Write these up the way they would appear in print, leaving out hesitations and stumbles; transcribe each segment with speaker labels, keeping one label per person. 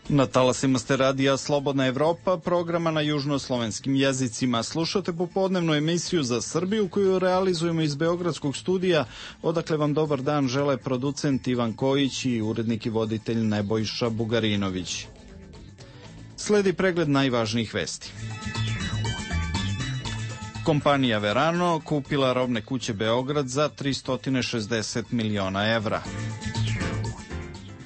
Speaker 1: Na talasima ste radija Slobodna Evropa, programa na južnoslovenskim jezicima. Slušate popodnevnu emisiju za Srbiju koju realizujemo iz Beogradskog studija, odakle vam dobar dan žele producent Ivan Kojić i urednik i voditelj Nebojša Bugarinović. Sledi pregled najvažnijih vesti. Kompanija Verano kupila robne kuće Beograd za 360 miliona evra.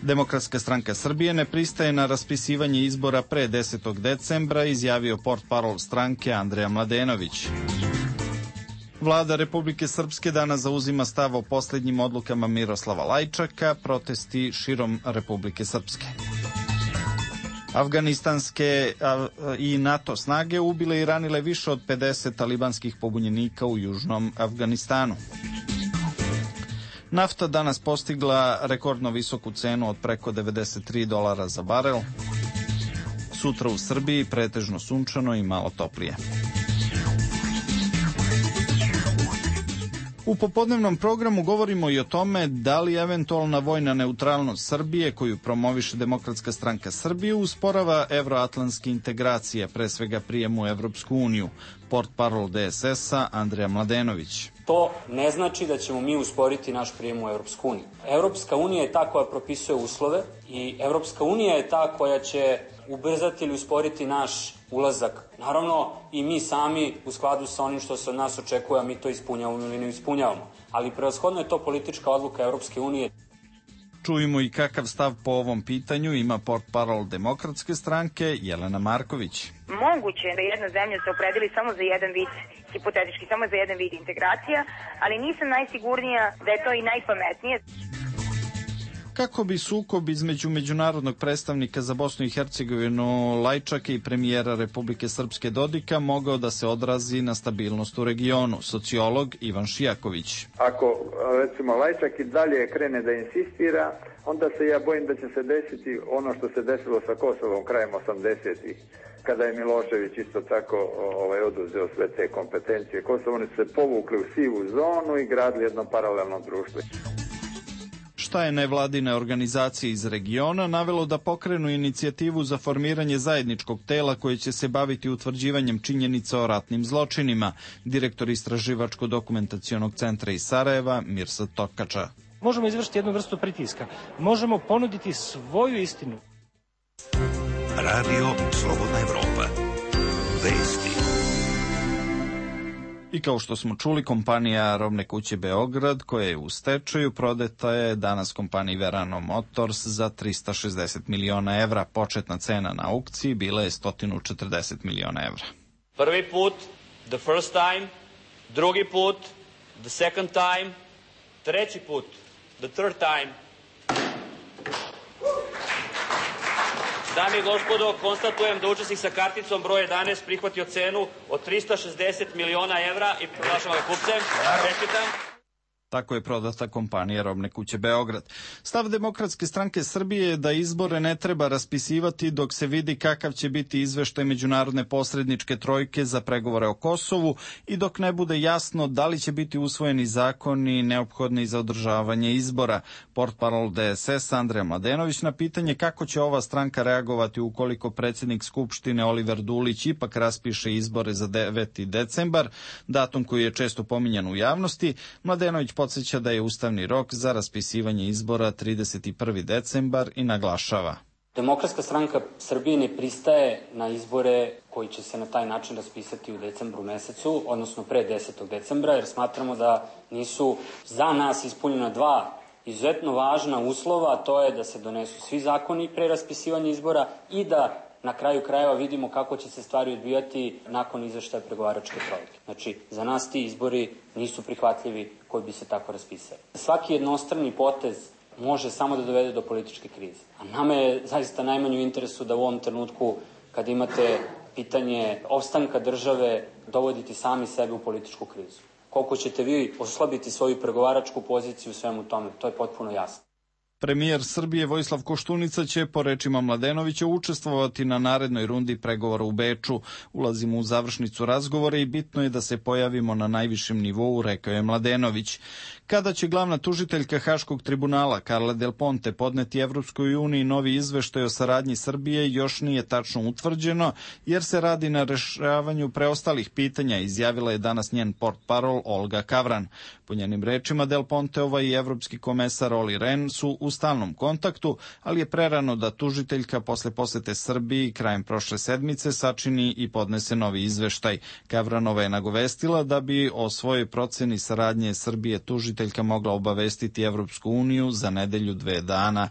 Speaker 1: Demokratska stranka Srbije ne pristaje na raspisivanje izbora pre 10. decembra, izjavio portparol stranke Andreja Mladenović. Vlada Republike Srpske danas zauzima stav o posljednjim odlukama Miroslava Lajčaka, protesti širom Republike Srpske. Afganistanske i NATO snage ubile i ranile više od 50 talibanskih pobunjenika u južnom Afganistanu. Nafta danas postigla rekordno visoku cenu od preko $93 za barel. Sutra u Srbiji pretežno sunčano i malo toplije. U popodnevnom programu govorimo i o tome da li eventualna vojna neutralnost Srbije, koju promoviše Demokratska stranka Srbije, usporava evroatlantske integracije, pre svega prijem u Evropsku uniju. Portparol DSS-a Andreja Mladenović.
Speaker 2: To ne znači da ćemo mi usporiti naš prijem u Evropsku uniju. Evropska unija je ta koja propisuje uslove i Evropska unija je ta koja će ubrzati ili usporiti naš ulazak. Naravno, i mi sami u skladu sa onim što se od nas očekuje, a mi to ispunjavamo ili ne ispunjavamo. Ali prevashodno je to politička odluka Evropske unije.
Speaker 1: Čujemo i kakav stav po ovom pitanju ima portparol Demokratske stranke Jelena Marković.
Speaker 3: Moguće je da jedna zemlja se opredeli samo za jedan vid, hipotetički samo za jedan vid integracija, ali nisam najsigurnija da je to i najpametnije.
Speaker 1: Kako bi sukob između međunarodnog predstavnika za Bosnu i Hercegovinu Lajčaka i premijera Republike Srpske Dodika mogao da se odrazi na stabilnost u regionu? Sociolog Ivan Šijaković.
Speaker 4: Ako, recimo, Lajčak i dalje krene da insistira, onda se ja bojim da će se desiti ono što se desilo sa Kosovom krajem 80-ih, kada je Milošević isto tako oduzeo sve te kompetencije Kosova. Oni su se povukli u sivu zonu i gradili jedno paralelno društvo.
Speaker 1: Šta je nevladine organizacije iz regiona navelo da pokrenu inicijativu za formiranje zajedničkog tela koje će se baviti utvrđivanjem činjenica o ratnim zločinima? Direktor Istraživačko-dokumentacionog centra iz Sarajeva, Mirsad Tokača.
Speaker 5: Možemo izvršiti jednu vrstu pritiska. Možemo ponuditi svoju istinu.
Speaker 6: Radio Slobodna Evropa. Vesti.
Speaker 1: I kao što smo čuli, kompanija Robne kuće Beograd, koja je u stečaju, prodata je danas kompaniji Verano Motors za 360 miliona evra. Početna cena na aukciji bila je 140 miliona evra.
Speaker 7: Prvi put, the first time, drugi put, the second time, treći put, the third time. Dame i gospodo, konstatujem da učesnik sa karticom broj 11 prihvatio cenu od 360 miliona evra i proglašavam ga kupcem. Čestitam.
Speaker 1: Tako je prodata kompanija Robne kuće Beograd. Stav Demokratske stranke Srbije je da izbore ne treba raspisivati dok se vidi kakav će biti izveštaj međunarodne posredničke trojke za pregovore o Kosovu i dok ne bude jasno da li će biti usvojeni zakoni neophodni za održavanje izbora. Portparol DSS Andreja Mladenović na pitanje kako će ova stranka reagovati ukoliko predsjednik Skupštine Oliver Dulić ipak raspiše izbore za 9. decembar, datum koji je često pominjan u javnosti, Mladenović podsjeća da je ustavni rok za raspisivanje izbora 31. decembar i naglašava.
Speaker 2: Demokratska stranka Srbije ne pristaje na izbore koji će se na taj način raspisati u decembru mesecu, odnosno pre 10. decembra, jer smatramo da nisu za nas ispunjena dva izuzetno važna uslova, a to je da se donesu svi zakoni pre raspisivanja izbora i da na kraju krajeva vidimo kako će se stvari odvijati nakon izveštaja pregovaračke trojke. Znači, za nas ti izbori nisu prihvatljivi koji bi se tako raspisali. Svaki jednostrani potez može samo da dovede do političke krize. A nama je zaista najmanje u interesu da u ovom trenutku, kad imate pitanje opstanka države, dovoditi sami sebe u političku krizu. Koliko ćete vi oslabiti svoju pregovaračku poziciju u svemu tome, to je potpuno jasno.
Speaker 1: Premijer Srbije Vojislav Koštunica će, po rečima Mladenovića, učestvovati na narednoj rundi pregovora u Beču. Ulazimo u završnicu razgovora i bitno je da se pojavimo na najvišem nivou, rekao je Mladenović. Kada će glavna tužiteljka Haškog tribunala Carla Del Ponte podneti Evropskoj uniji novi izveštaj o saradnji Srbije još nije tačno utvrđeno, jer se radi na rešavanju preostalih pitanja, izjavila je danas njen portparol Olga Kavran. Po njenim rečima, Del Ponteova i evropski komesar Olli Rehn su u stalnom kontaktu, ali je prerano da tužiteljka posle posete Srbiji krajem prošle sedmice sačini i podnese novi izveštaj. Kavranova je nagovestila da bi o svojoj proceni saradnje Srbije tužiteljka mogla obavestiti Evropsku uniju za nedelju 2 dana.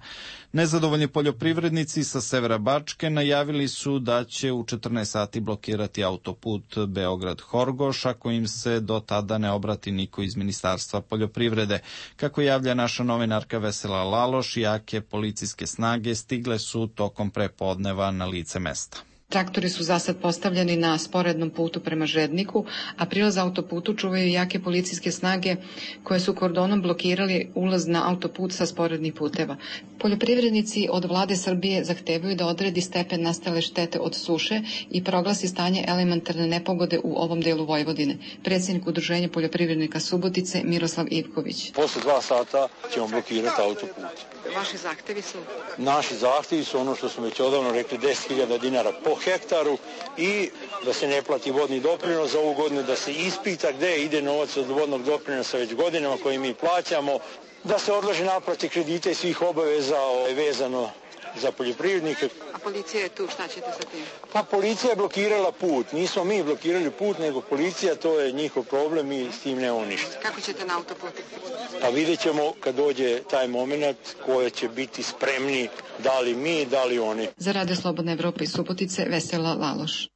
Speaker 1: Nezadovoljni poljoprivrednici sa severa Bačke najavili su da će u 14 sati blokirati autoput Beograd-Horgoš ako im se do tada ne obrati niko iz Ministarstva poljoprivrede. Kako javlja naša novinarka Vesela Laloš, jake policijske snage stigle su tokom prepodneva na lice mesta.
Speaker 8: Traktori su zasad postavljeni na sporednom putu prema Žedniku, a prilaz autoputu čuvaju jake policijske snage koje su kordonom blokirali ulaz na autoput sa sporednih puteva. Poljoprivrednici od vlade Srbije zahtevaju da odredi stepen nastale štete od suše i proglasi stanje elementarne nepogode u ovom delu Vojvodine. Predsjednik Udruženja poljoprivrednika Subotice Miroslav Ivković.
Speaker 9: Posle 2 sata ćemo blokirati autoput.
Speaker 8: Vaši zahtevi su?
Speaker 9: Naši zahtevi su ono što smo već odavno rekli, 10.000 dinara po hektaru i da se ne plati vodni doprinos za ovu godinu, da se ispita gde ide novac od vodnog doprinosa već godinama koji mi plaćamo, da se odloži naplate kredita i svih obaveza vezano za poljoprivrednike.
Speaker 8: A policija je tu, šta ćete sa tim?
Speaker 9: Pa policija je blokirala put, nismo mi blokirali put, nego policija, to je njihov problem i s tim nemamo ništa.
Speaker 8: Kako ćete na autoputu?
Speaker 9: Pa vidjet ćemo kad dođe taj moment koje će biti spremni, da li mi, da li oni.
Speaker 8: Za Radio Slobodna Evropa iz Subotice, Vesela Laloš.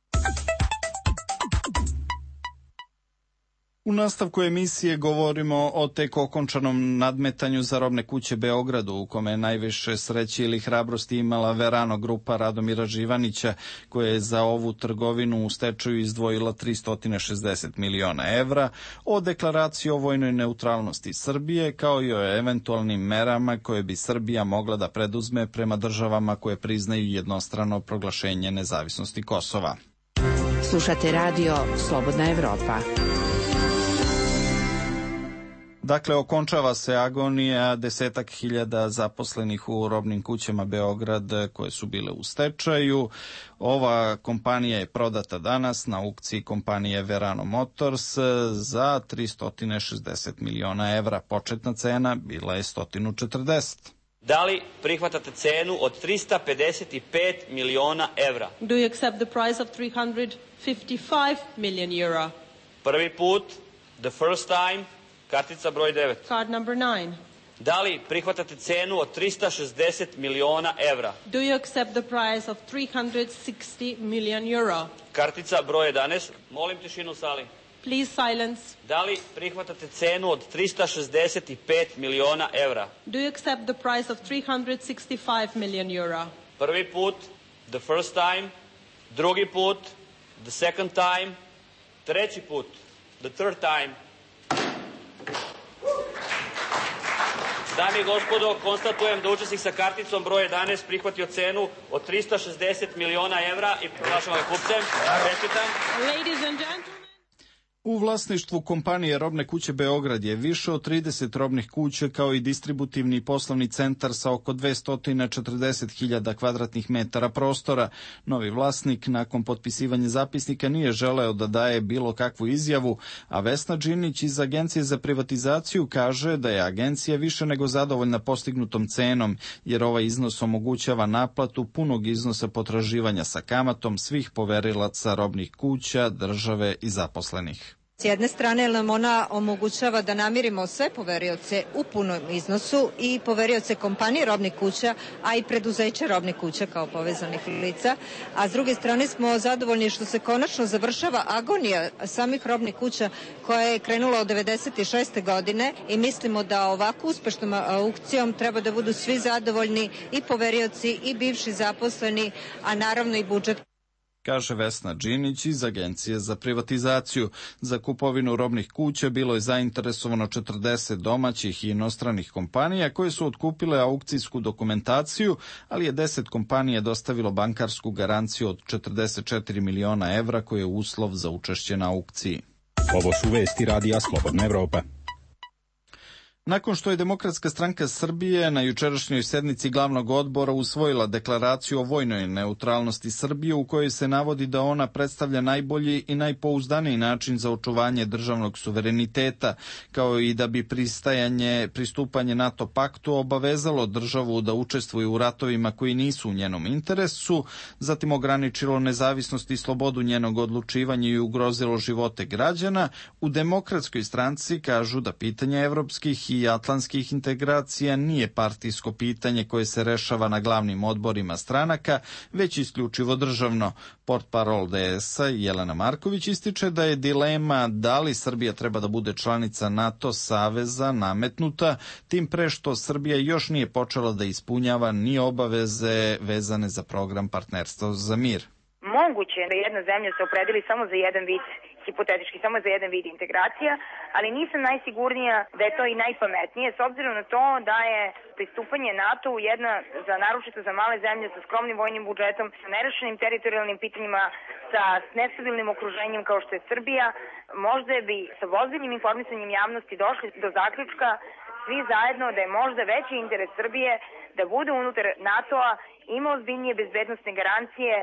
Speaker 1: U nastavku emisije govorimo o tek okončanom nadmetanju za robne kuće Beogradu, u kome je najviše sreće ili hrabrosti imala Verano grupa Radomira Živanića, koja je za ovu trgovinu u stečaju izdvojila 360 miliona evra, o deklaraciji o vojnoj neutralnosti Srbije, kao i o eventualnim merama koje bi Srbija mogla da preduzme prema državama koje priznaju jednostrano proglašenje nezavisnosti Kosova.
Speaker 10: Slušate radio Slobodna Evropa.
Speaker 1: Dakle, okončava se agonija 10.000 zaposlenih u robnim kućama Beograd koje su bile u stečaju. Ova kompanija je prodata danas na aukciji kompanije Verano Motors za 360 miliona evra. Početna cena bila je 140.
Speaker 7: Da li prihvatate cenu od 355 miliona evra?
Speaker 11: Do you accept the price of 355 million euro?
Speaker 7: Prvi put, the first time, kartica broj 9.
Speaker 11: Card number 9.
Speaker 7: Da li prihvatate cenu od 360 miliona evra?
Speaker 11: Do you accept the price of 360 million euro?
Speaker 7: Kartica broj 11. Molim tišinu u sali.
Speaker 11: Please silence.
Speaker 7: Da li prihvatate cenu od 365 miliona evra?
Speaker 11: Do you accept the price of 365 million euro?
Speaker 7: Prvi put, the first time. Drugi put, the second time. Treći put, the third time. Dame i gospodo, konstatujem da učesnik sa karticom broj 11 prihvatio cenu od 360 miliona evra i proglašavam ga kupcem. Čestitam.
Speaker 11: Ladies and gentlemen.
Speaker 1: U vlasništvu kompanije Robne kuće Beograd je više od 30 robnih kuća kao i distributivni poslovni centar sa oko 240.000 kvadratnih metara prostora. Novi vlasnik nakon potpisivanja zapisnika nije želeo da daje bilo kakvu izjavu, a Vesna Đinić iz Agencije za privatizaciju kaže da je agencija više nego zadovoljna postignutom cenom, jer ovaj iznos omogućava naplatu punog iznosa potraživanja sa kamatom svih poverilaca robnih kuća, države i zaposlenih.
Speaker 12: S jedne strane nam ona omogućava da namirimo sve poverioce u punom iznosu i poverioce kompanije robnih kuća, a i preduzeće robnih kuća kao povezanih lica, a s druge strane smo zadovoljni što se konačno završava agonija samih robnih kuća koja je krenula od 96. godine i mislimo da ovako uspešnom aukcijom treba da budu svi zadovoljni, i poverioci i bivši zaposleni, a naravno i budžet.
Speaker 1: kaže Vesna Đinić iz Agencije za privatizaciju. Za kupovinu robnih kuća bilo je zainteresovano 40 domaćih i inostranih kompanija koje su otkupile aukcijsku dokumentaciju, ali je 10 kompanija dostavilo bankarsku garanciju od 44 miliona evra koji je uslov za učešće na aukciji.
Speaker 13: Ovo su vesti Radija Slobodna Evropa.
Speaker 1: Nakon što je Demokratska stranka Srbije na jučerašnjoj sednici glavnog odbora usvojila deklaraciju o vojnoj neutralnosti Srbije u kojoj se navodi da ona predstavlja najbolji i najpouzdaniji način za očuvanje državnog suvereniteta, kao i da bi pristupanje NATO paktu obavezalo državu da učestvuje u ratovima koji nisu u njenom interesu, zatim ograničilo nezavisnost i slobodu njenog odlučivanja i ugrozilo živote građana, u Demokratskoj stranci kažu da pitanje evropskih i atlantskih integracija nije partijsko pitanje koje se rešava na glavnim odborima stranaka, već isključivo državno. Portparol DS-a Jelena Marković ističe da je dilema da li Srbija treba da bude članica NATO saveza nametnuta, tim pre što Srbija još nije počela da ispunjava ni obaveze vezane za program Partnerstvo za mir.
Speaker 3: Moguće je da jedna zemlja se opredeli samo za jedan vid, hipotetički samo za jedan vid integracija, ali nisam najsigurnija da je to i najpametnije, s obzirom na to da je pristupanje NATO-u jedna, naročito za male zemlje sa skromnim vojnim budžetom, sa nerešenim teritorijalnim pitanjima, sa nestabilnim okruženjem kao što je Srbija, možda bi sa ozbiljnim informisanjem javnosti došli do zaključka svi zajedno da je možda veći interes Srbije da bude unutar NATO-a, ima ozbiljnije bezbednosne garancije,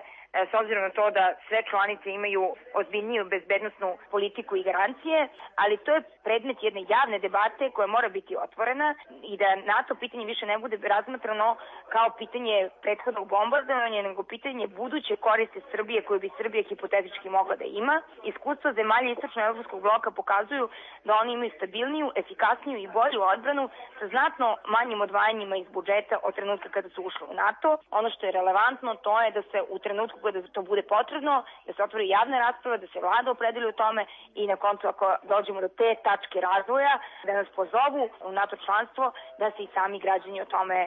Speaker 3: s obzirom na to da sve članice imaju ozbiljniju bezbednosnu politiku i garancije, ali to je predmet jedne javne debate koja mora biti otvorena i da NATO pitanje više ne bude razmatrano kao pitanje prethodnog bombardovanja, nego pitanje buduće koriste Srbije koje bi Srbija hipotetički mogla da ima. Iskustva zemalja istočno-evropskog bloka pokazuju da oni imaju stabilniju, efikasniju i bolju odbranu sa znatno manjim odvajanjima iz budžeta od trenutka kada su ušli u NATO. Ono što je relevantno to je da se u trenutku kada to bude potrebno, da se otvori javna rasprava, da se vlada opredeli u tome i na koncu ako dođemo do te tačke razvoja, da nas pozovu u NATO članstvo, da se i sami građani o tome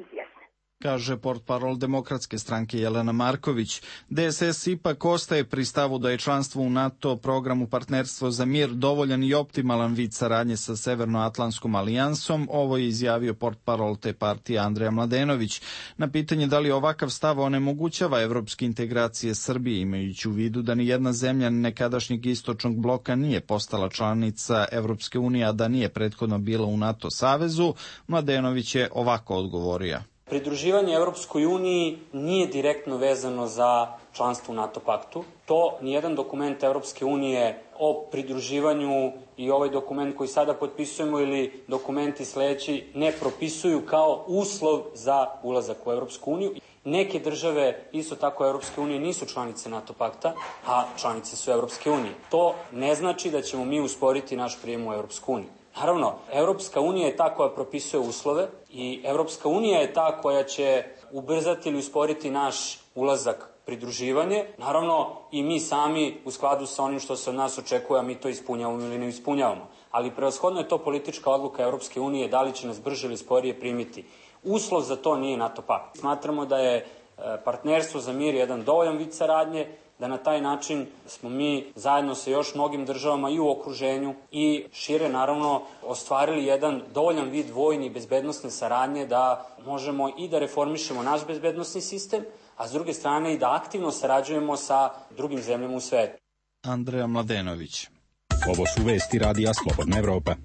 Speaker 3: izjasne.
Speaker 1: Kaže portparol Demokratske stranke Jelena Marković. DSS ipak ostaje pri stavu da je članstvo u NATO programu Partnerstvo za mir dovoljan i optimalan vid saradnje sa Severnoatlantskom alijansom. Ovo je izjavio portparol te partije Andreja Mladenović. Na pitanje da li ovakav stav onemogućava evropske integracije Srbije, imajući u vidu da ni jedna zemlja nekadašnjeg istočnog bloka nije postala članica Evropske unije, a da nije prethodno bila u NATO savezu, Mladenović je ovako odgovorio.
Speaker 2: Pridruživanje Evropskoj uniji nije direktno vezano za članstvo u NATO paktu. To nijedan dokument Evropske unije o pridruživanju i ovaj dokument koji sada potpisujemo ili dokumenti sledeći ne propisuju kao uslov za ulazak u Evropsku uniju. Neke države, isto tako Evropske unije, nisu članice NATO pakta, a članice su Evropske unije. To ne znači da ćemo mi usporiti naš prijem u Evropsku uniju. Naravno, Evropska unija je ta koja propisuje uslove i Evropska unija je ta koja će ubrzati ili usporiti naš ulazak, pridruživanje. Naravno, i mi sami u skladu sa onim što se od nas očekuje, a mi to ispunjavamo ili ne ispunjavamo. Ali prevashodno je to politička odluka Evropske unije da li će nas brže ili sporije primiti. Uslov za to nije NATO pakt. Smatramo da je Partnerstvo za mir jedan dovoljan vid saradnje, da na taj način smo mi zajedno sa još mnogim državama i u okruženju i šire naravno ostvarili jedan dovoljan vid vojne i bezbednosne saradnje da možemo i da reformišemo naš bezbednosni sistem, a s druge strane i da aktivno sarađujemo sa drugim zemljama u svetu.
Speaker 1: Andreja Mladenović.
Speaker 13: Ovo su vesti Radija Slobodna Evropa.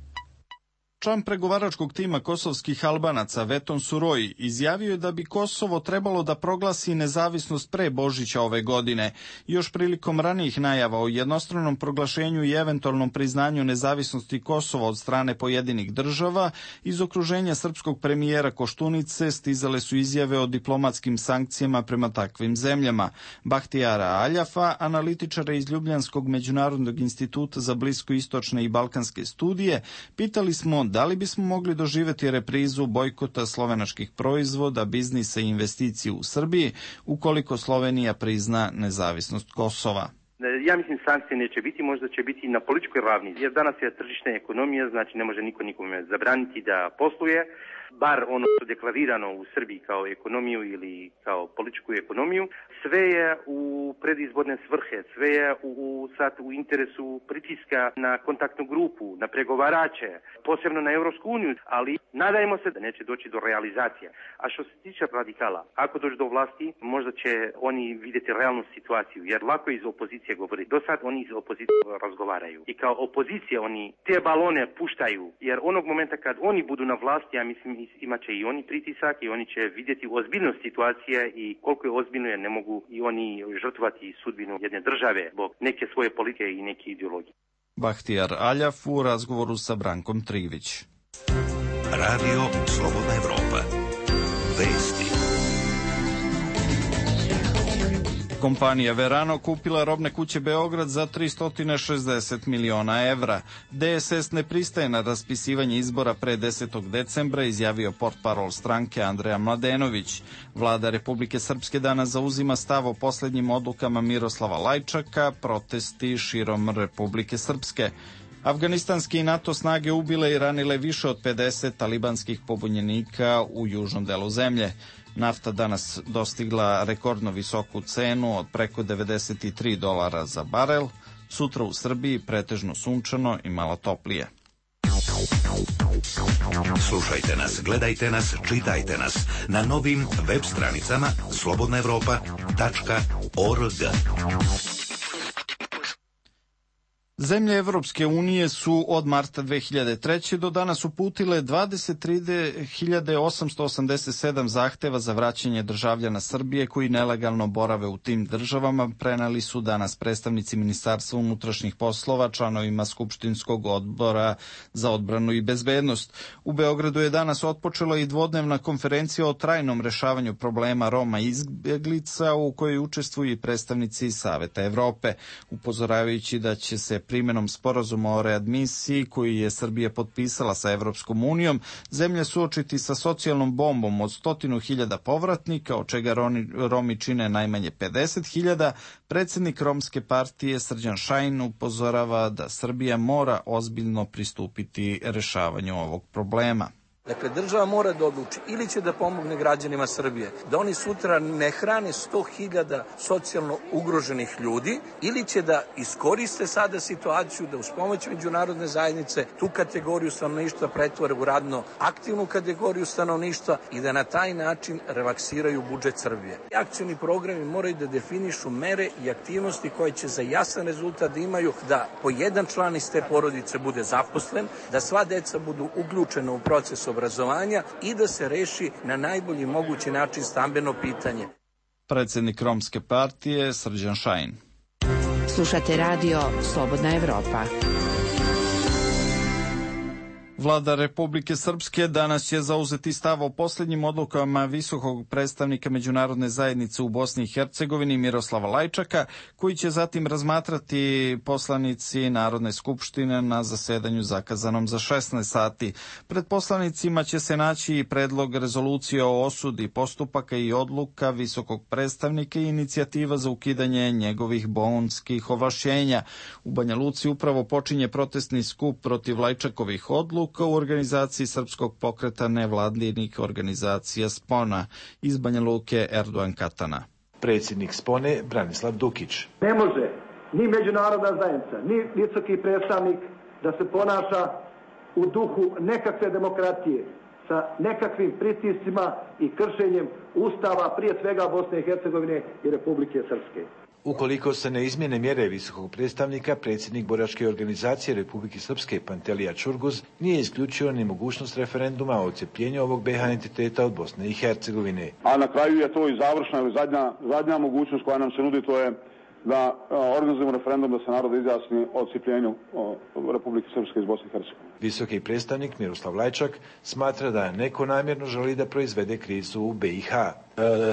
Speaker 1: Član pregovaračkog tima kosovskih Albanaca Veton Suroi izjavio je da bi Kosovo trebalo da proglasi nezavisnost pre Božića ove godine. Još prilikom ranijih najava o jednostranom proglašenju i eventualnom priznanju nezavisnosti Kosova od strane pojedinih država, iz okruženja srpskog premijera Koštunice stizale su izjave o diplomatskim sankcijama prema takvim zemljama. Bahtijara Aljafa, analitičara iz Ljubljanskog međunarodnog instituta za bliskoistočne i balkanske studije, pitali smo da li bismo mogli doživjeti reprizu bojkota slovenačkih proizvoda, biznisa i investicije u Srbiji ukoliko Slovenija prizna nezavisnost Kosova.
Speaker 14: Ja mislim sankcije neće biti, možda će biti na političkoj ravni, jer danas je tržišna ekonomija, znači ne može niko nikome zabraniti da posluje. bar ono što je deklarirano u Srbiji kao ekonomiju ili kao političku ekonomiju, sve je u predizborne svrhe, sve je sad u interesu pritiska na kontaktnu grupu, na pregovarače, posebno na Evropsku uniju, ali nadajmo se da neće doći do realizacije. A što se tiče radikala, ako dođe do vlasti, možda će oni vidjeti realnu situaciju, jer lako iz opozicije govori. Do sad oni iz opozicije razgovaraju. I kao opozicija oni te balone puštaju, jer onog momenta kad oni budu na vlasti, ja mislim imat će i oni pritisak i oni će vidjeti ozbiljnost situacije i koliko je ozbiljno je ne mogu i oni žrtvovati sudbinu jedne države zbog neke svoje politike i neke ideologije.
Speaker 1: Bahtijar Aljaf u razgovoru sa Brankom Trivić.
Speaker 6: Radio Slobodna Evropa. Vesti.
Speaker 1: Kompanija Verano kupila robne kuće Beograd za 360 miliona evra. DSS ne pristaje na raspisivanje izbora pre 10. decembra, izjavio portparol stranke Andreja Mladenović. Vlada Republike Srpske danas zauzima stav o poslednjim odlukama Miroslava Lajčaka, protesti širom Republike Srpske. Afganistanske i NATO snage ubile i ranile više od 50 talibanskih pobunjenika u južnom delu zemlje. Nafta danas dostigla rekordno visoku cenu od preko $93 za barel. Sutra u Srbiji pretežno sunčano i malo toplije.
Speaker 6: Slušajte nas, gledajte nas, čitajte nas na novim web stranicama slobodnaevropa.org.
Speaker 1: Zemlje Evropske unije su od marta 2003. do danas uputile 23.887 zahteva za vraćanje državljana Srbije koji nelegalno borave u tim državama, preneli su danas predstavnici Ministarstva unutrašnjih poslova članovima Skupštinskog odbora za odbranu i bezbednost. U Beogradu je danas otpočela i dvodnevna konferencija o trajnom rešavanju problema Roma i izbeglica u kojoj učestvuju i predstavnici Saveta Evrope, upozoravajući da će se primenom sporazuma o readmisiji koji je Srbija potpisala sa Evropskom unijom, zemlje suočiti sa socijalnom bombom od 100.000 povratnika, od čega Romi čine najmanje 50.000, predsjednik Romske partije Srđan Šajn upozorava da Srbija mora ozbiljno pristupiti rešavanju ovog problema.
Speaker 15: Dakle, država mora da odluči ili će da pomogne građanima Srbije, da oni sutra ne hrane 100.000 socijalno ugroženih ljudi, ili će da iskoriste sada situaciju da uz pomoć međunarodne zajednice tu kategoriju stanovništva pretvore u radno aktivnu kategoriju stanovništva i da na taj način relaksiraju budžet Srbije. Akcioni programi moraju da definišu mere i aktivnosti koje će za jasan rezultat da imaju da po jedan član iz te porodice bude zaposlen, da sva deca budu uključena u proces obrazovanja i da se reši na najbolji mogući način stambeno pitanje.
Speaker 1: Predsjednik Romske partije Srđan Šajn.
Speaker 10: Slušate radio Slobodna Evropa.
Speaker 1: Vlada Republike Srpske danas će zauzeti stav o posljednjim odlukama visokog predstavnika međunarodne zajednice u Bosni i Hercegovini Miroslava Lajčaka, koji će zatim razmatrati poslanici Narodne skupštine na zasedanju zakazanom za 16 sati. Pred poslanicima će se naći i predlog rezolucije o osudi postupaka i odluka visokog predstavnika i inicijativa za ukidanje njegovih bonskih ovlašćenja. U Banja Luci upravo počinje protestni skup protiv Lajčakovih odluka u organizaciji Srpskog pokreta nevladinih organizacija Spona. Iz Banja Luke Erdogan Katana.
Speaker 16: Predsjednik Spone Branislav Dukić.
Speaker 17: Ne može ni međunarodna zajednica, ni visoki predstavnik da se ponaša u duhu nekakve demokratije, sa nekakvim pritiscima i kršenjem Ustava, prije svega Bosne i Hercegovine i Republike Srpske.
Speaker 16: Ukoliko se ne izmjene mjere visokog predstavnika, predsjednik boračke organizacije Republike Srpske Pantelija Čurguz nije isključio ni mogućnost referenduma o odcepljenju ovog BiH entiteta od Bosne i Hercegovine.
Speaker 18: A na kraju je to i završna ili zadnja mogućnost koja nam se nudi, to je da organizujemo referendum da se narod izjasni o odcepljenju Republike Srpske iz Bosne i Hercegovine.
Speaker 16: Visoki predstavnik Miroslav Lajčak smatra da neko namjerno želi da proizvede krizu u BiH.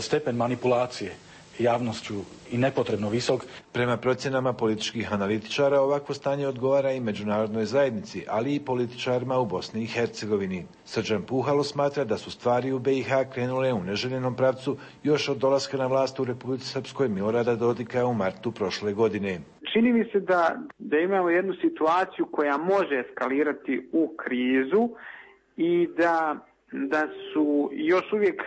Speaker 19: Stepen manipulacije javnošću i nepotrebno visok.
Speaker 16: Prema procjenama političkih analitičara, ovakvo stanje odgovara i međunarodnoj zajednici, ali i političarima u Bosni i Hercegovini. Srđan Puhalo smatra da su stvari u BiH krenule u neželjenom pravcu još od dolaska na vlast u Republici Srpskoj Milorada Dodika u martu prošle godine.
Speaker 20: Čini mi se da imamo jednu situaciju koja može eskalirati u krizu i da da su još uvijek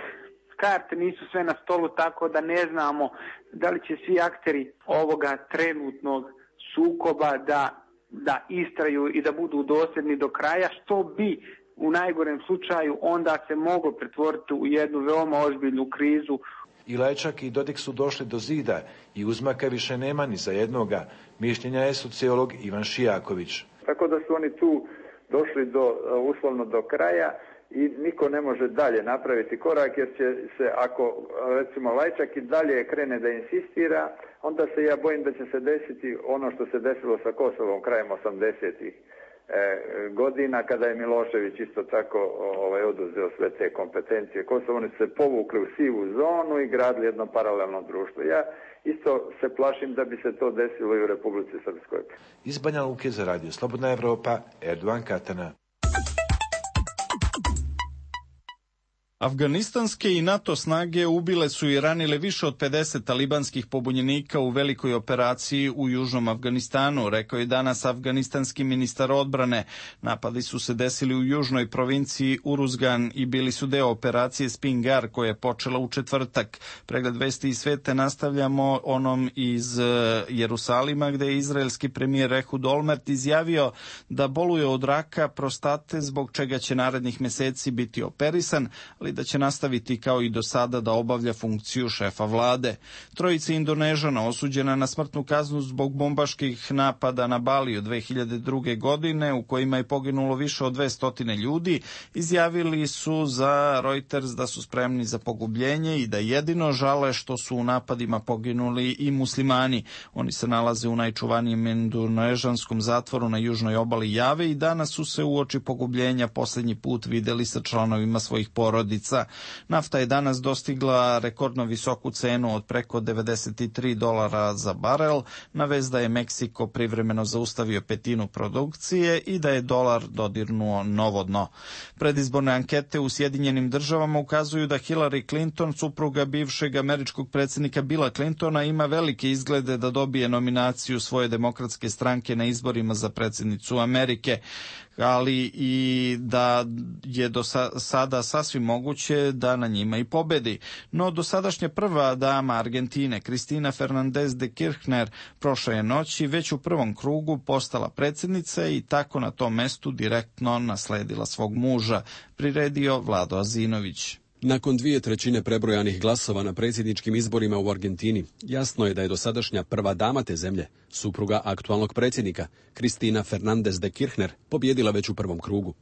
Speaker 20: karte nisu sve na stolu, tako da ne znamo da li će svi akteri ovoga trenutnog sukoba da istraju i da budu dosljedni do kraja, što bi u najgorem slučaju onda se moglo pretvoriti u jednu veoma ozbiljnu krizu.
Speaker 16: I Lajčak i Dodik su došli do zida i uzmaka više nema ni za jednoga, mišljenja je sociolog Ivan Šijaković.
Speaker 4: Tako da su oni tu došli uslovno do kraja i niko ne može dalje napraviti korak, jer će se, ako recimo Lajčak i dalje krene da insistira, onda se ja bojim da će se desiti ono što se desilo sa Kosovom krajem 80-ih godina, kada je Milošević isto tako oduzeo sve te kompetencije Kosovo. Oni su se povukli u sivu zonu i gradili jedno paralelno društvo. Ja isto se plašim da bi se to desilo i u Republici Srpskoj.
Speaker 16: Iz Banja Luke za Radio Slobodna Evropa, Erdogan Katana.
Speaker 1: Afganistanske i NATO snage ubile su i ranile više od 50 talibanskih pobunjenika u velikoj operaciji u južnom Afganistanu, rekao je danas afganistanski ministar odbrane. Napadi su se desili u južnoj provinciji Uruzgan i bili su deo operacije Spingar koja je počela u četvrtak. Pregled vesti iz sveta nastavljamo onom iz Jerusalima, gde je izraelski premijer Ehud Olmert izjavio da boluje od raka prostate, zbog čega će narednih meseci biti operisan, ali da će nastaviti kao i do sada da obavlja funkciju šefa vlade. Trojica Indonežana osuđena na smrtnu kaznu zbog bombaških napada na Baliju 2002. godine, u kojima je poginulo više od 200 ljudi, izjavili su za Reuters da su spremni za pogubljenje i da jedino žale što su u napadima poginuli i muslimani. Oni se nalaze u najčuvanijem indonežanskom zatvoru na južnoj obali Jave i danas su se uoči pogubljenja posljednji put videli sa članovima svojih porodica. Nafta je danas dostigla rekordno visoku cenu od preko $93 za barel, na vez da je Meksiko privremeno zaustavio petinu produkcije i da je dolar dodirnuo novo dno. Predizborne ankete u Sjedinjenim Državama ukazuju da Hillary Clinton, supruga bivšeg američkog predsjednika Billa Clintona, ima velike izglede da dobije nominaciju svoje demokratske stranke na izborima za predsjednicu Amerike, ali i da je do sada sasvim moguće da na njima i pobedi. No dosadašnja prva dama Argentine, Cristina Fernández de Kirchner, prošle je noći već u prvom krugu postala predsjednica i tako na tom mestu direktno nasledila svog muža, priredio Vlado Azinović.
Speaker 21: Nakon 2/3 prebrojanih glasova na predsjedničkim izborima u Argentini, jasno je da je dosadašnja prva dama te zemlje, supruga aktualnog predsjednika, Cristina Fernández de Kirchner, pobjedila već u prvom krugu.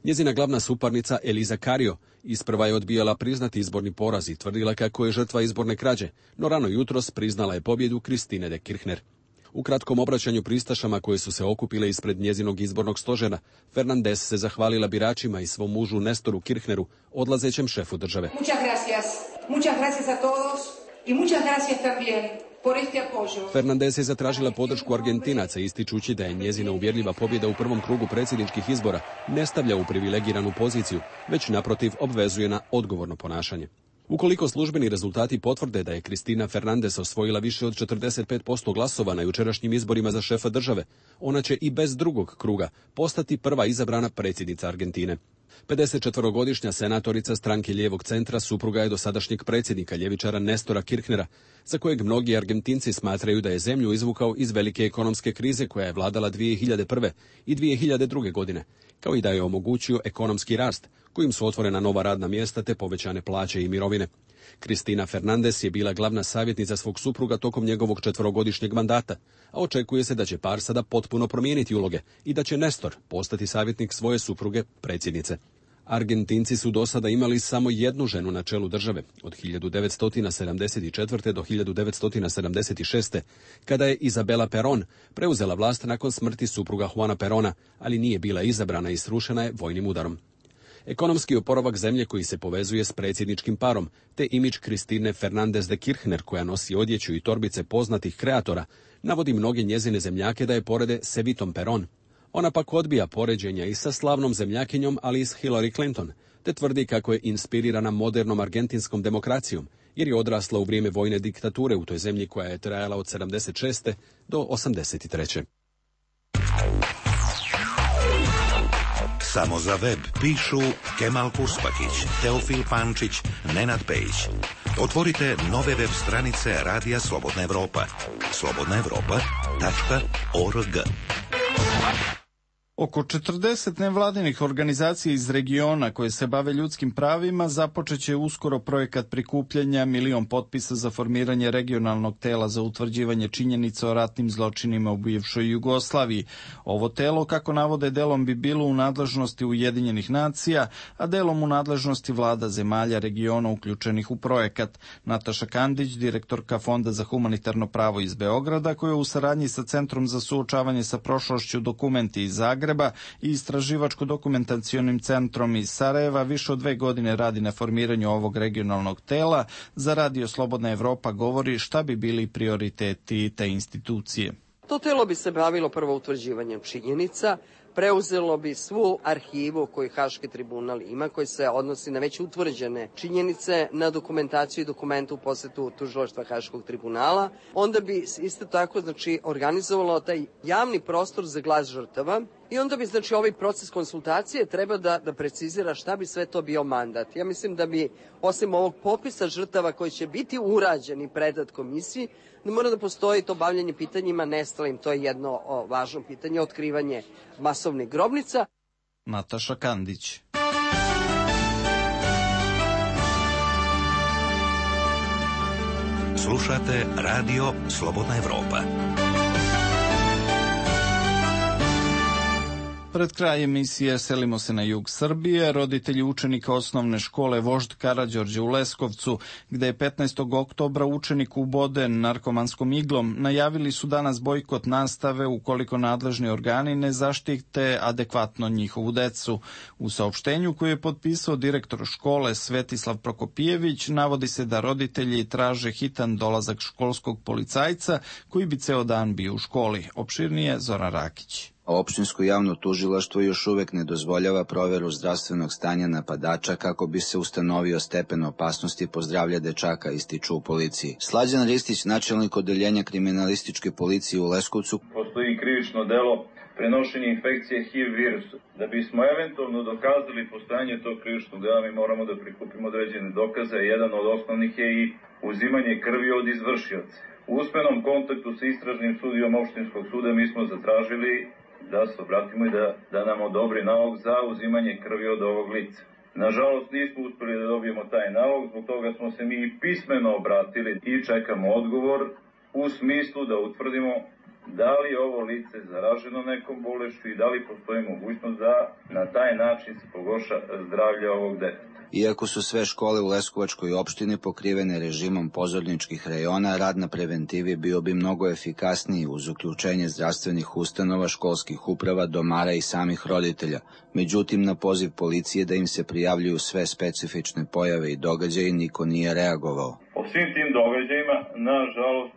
Speaker 21: Njezina glavna suparnica Elisa Carrió isprva je odbijala priznati izborni poraz i tvrdila kako je žrtva izborne krađe, no rano jutros priznala je pobjedu Cristine de Kirchner. U kratkom obraćanju pristašama koje su se okupile ispred njezinog izbornog stožera, Fernández se zahvalila biračima i svom mužu Nestoru Kirchneru, odlazećem šefu države.
Speaker 22: Muchas gracias a todos y muchas gracias también por este apoyo.
Speaker 21: Fernández je zatražila podršku Argentinaca, ističući da je njezina uvjerljiva pobjeda u prvom krugu predsjedničkih izbora ne stavlja u privilegiranu poziciju, već naprotiv obvezuje na odgovorno ponašanje. Ukoliko službeni rezultati potvrde da je Cristina Fernández osvojila više od 45% glasova na jučerašnjim izborima za šefa države, ona će i bez drugog kruga postati prva izabrana predsjednica Argentine. 54-godišnja senatorica stranke lijevog centra supruga je dosadašnjeg predsjednika ljevičara Nestora Kirchnera, za kojeg mnogi Argentinci smatraju da je zemlju izvukao iz velike ekonomske krize koja je vladala 2001. i 2002. godine, kao i da je omogućio ekonomski rast, kojim su otvorena nova radna mjesta te povećane plaće i mirovine. Cristina Fernández je bila glavna savjetnica svog supruga tokom njegovog 4-godišnjeg mandata, a očekuje se da će par sada potpuno promijeniti uloge i da će Nestor postati savjetnik svoje supruge, predsjednice. Argentinci su do sada imali samo jednu ženu na čelu države, od 1974. do 1976. kada je Isabela Perón preuzela vlast nakon smrti supruga Juana Perona, ali nije bila izabrana i srušena je vojnim udarom. Ekonomski oporavak zemlje koji se povezuje s predsjedničkim parom, te imidž Cristine Fernández de Kirchner koja nosi odjeću i torbice poznatih kreatora, navodi mnoge njezine zemljake da je porede s Evitom Perón. Ona pak odbija poređenja i sa slavnom zemljakinjom, ali i s Hillary Clinton, te tvrdi kako je inspirirana modernom argentinskom demokracijom, jer je odrasla u vrijeme vojne diktature u toj zemlji koja je trajala od 76. do 83.
Speaker 6: Samo za web pišu Kemal Kuspakić, Teofil Pančić, Nenad Pejić. Otvorite nove web stranice Radija Slobodna Evropa. slobodnaevropa.org.
Speaker 1: Oko 40 nevladinih organizacija iz regiona koje se bave ljudskim pravima započeće uskoro projekat prikupljanja 1.000.000 potpisa za formiranje regionalnog tela za utvrđivanje činjenica o ratnim zločinima u bivšoj Jugoslaviji. Ovo telo, kako navode, delom bi bilo u nadležnosti Ujedinjenih nacija, a delom u nadležnosti vlada zemalja regiona uključenih u projekat. Nataša Kandić, direktorka Fonda za humanitarno pravo iz Beograda, koja u saradnji sa Centrom za suočavanje sa prošlošću Dokumenti iz Zagreba i Istraživačko-dokumentacionim centrom iz Sarajeva više od 2 godine radi na formiranju ovog regionalnog tela, za Radio Slobodna Evropa govori šta bi bili prioriteti te institucije.
Speaker 5: To telo bi se bavilo prvo utvrđivanjem činjenica, preuzelo bi svu arhivu koju Haški tribunal ima, koji se odnosi na već utvrđene činjenice, na dokumentaciju i dokumente u posjetu tužilaštva Haškog tribunala. Onda bi isto tako organizovalo taj javni prostor za glas žrtava i onda bi ovaj proces konsultacije treba da precizira šta bi sve to bio mandat. Ja mislim da bi osim ovog popisa žrtava koji će biti urađen i predat komisiji, da mora da postoji to bavljanje pitanjima nestalim, to je jedno važno pitanje, otkrivanje masovnih grobnica.
Speaker 1: Nataša Kandić.
Speaker 6: Slušate Radio Slobodna Evropa.
Speaker 1: Pred kraj emisije selimo se na jug Srbije. Roditelji učenika osnovne škole Vožd Karađorđe u Leskovcu, gde je 15. oktobra učenik uboden narkomanskom iglom, najavili su danas bojkot nastave ukoliko nadležni organi ne zaštite adekvatno njihovu decu. U saopštenju koje je potpisao direktor škole Svetislav Prokopijević navodi se da roditelji traže hitan dolazak školskog policajca koji bi ceo dan bio u školi. Opširnije Zoran Rakić.
Speaker 9: Opštinsko javno tužilaštvo još uvek ne dozvoljava proveru zdravstvenog stanja napadača kako bi se ustanovio stepen opasnosti po zdravlje dečaka, ističu u policiji. Slađan Ristić, načelnik odeljenja kriminalističke policije u Leskovcu.
Speaker 23: Postoji krivično delo prenošenje infekcije HIV virusu. Da bismo eventualno dokazali postojanje tog krivičnog dela, mi moramo da prikupimo određene dokaze. Jedan od osnovnih je i uzimanje krvi od izvršioca. U usmenom kontaktu sa istražnim sudijom opštinskog suda mi smo zatražili da se obratimo i da nam odobri nalog za uzimanje krvi od ovog lica. Nažalost, nismo uspeli da dobijemo taj nalog, zbog toga smo se mi pismeno obratili i čekamo odgovor u smislu da utvrdimo da li je ovo lice zaraženo nekom bolešću i da li postoji mogućnost da na taj način se pogorša zdravlje ovog deteta.
Speaker 9: Iako su sve škole u Leskovačkoj opštini pokrivene režimom pozorničkih rejona, rad na preventivi bio bi mnogo efikasniji uz uključenje zdravstvenih ustanova, školskih uprava, domara i samih roditelja. Međutim, na poziv policije da im se prijavljuju sve specifične pojave i događaje niko nije reagovao.
Speaker 23: O svim tim događajima, nažalost,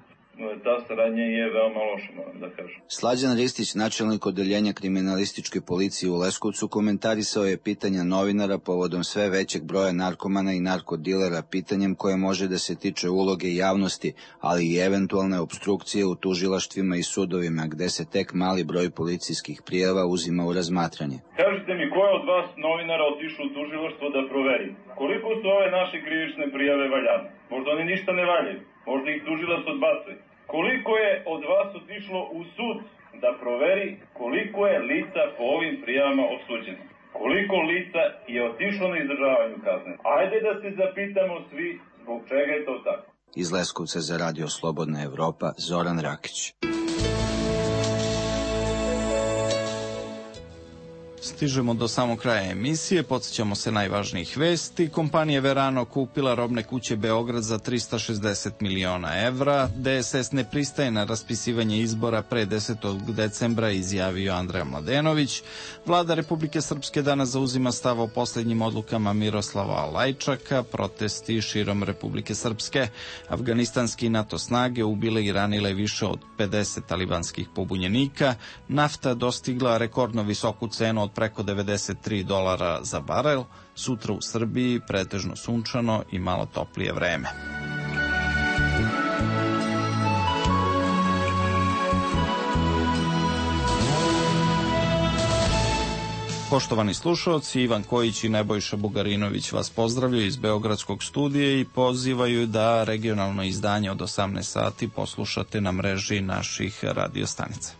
Speaker 23: ta saradnja je veoma loša, moram da kažem.
Speaker 9: Slađan Ristić, načelnik odeljenja kriminalističke policije u Leskovcu, komentarisao je pitanja novinara povodom sve većeg broja narkomana i narkodilera, pitanjem koje može da se tiče uloge javnosti, ali i eventualne opstrukcije u tužilaštvima i sudovima, gde se tek mali broj policijskih prijava uzima u razmatranje.
Speaker 23: Kažite mi, ko je od vas novinara otišao u tužilaštvo da proveri? Koliko su ove naše krivične prijave valjane? Možda oni ništa ne valjaju, možda ih tužilac odbacuje. Koliko je od vas otišlo u sud da proveri koliko je lica po ovim prijavama osuđeno? Koliko lica je otišlo na izdržavanju kazne? Ajde da se zapitamo svi zbog čega je to tako.
Speaker 9: Iz Leskovca za Radio Slobodna Evropa, Zoran Rakić.
Speaker 1: Stižemo do samog kraja emisije, podsjećamo se najvažnijih vesti. Kompanija Verano kupila robne kuće Beograd za 360 miliona evra. DSS ne pristaje na raspisivanje izbora pre 10. decembra, izjavio Andreja Mladenović. Vlada Republike Srpske danas zauzima stav o posljednjim odlukama Miroslava Lajčaka, protesti širom Republike Srpske. Afganistanski NATO snage ubile i ranile više od 50 talibanskih pobunjenika. Nafta dostigla rekordno visoku cenu od preko $93 za barel. Sutra u Srbiji pretežno sunčano i malo toplije vreme. Poštovani slušalci, Ivan Kojić i Nebojša Bugarinović vas pozdravljaju iz Beogradskog studija i pozivaju da regionalno izdanje od 18 sati poslušate na mreži naših radiostanica.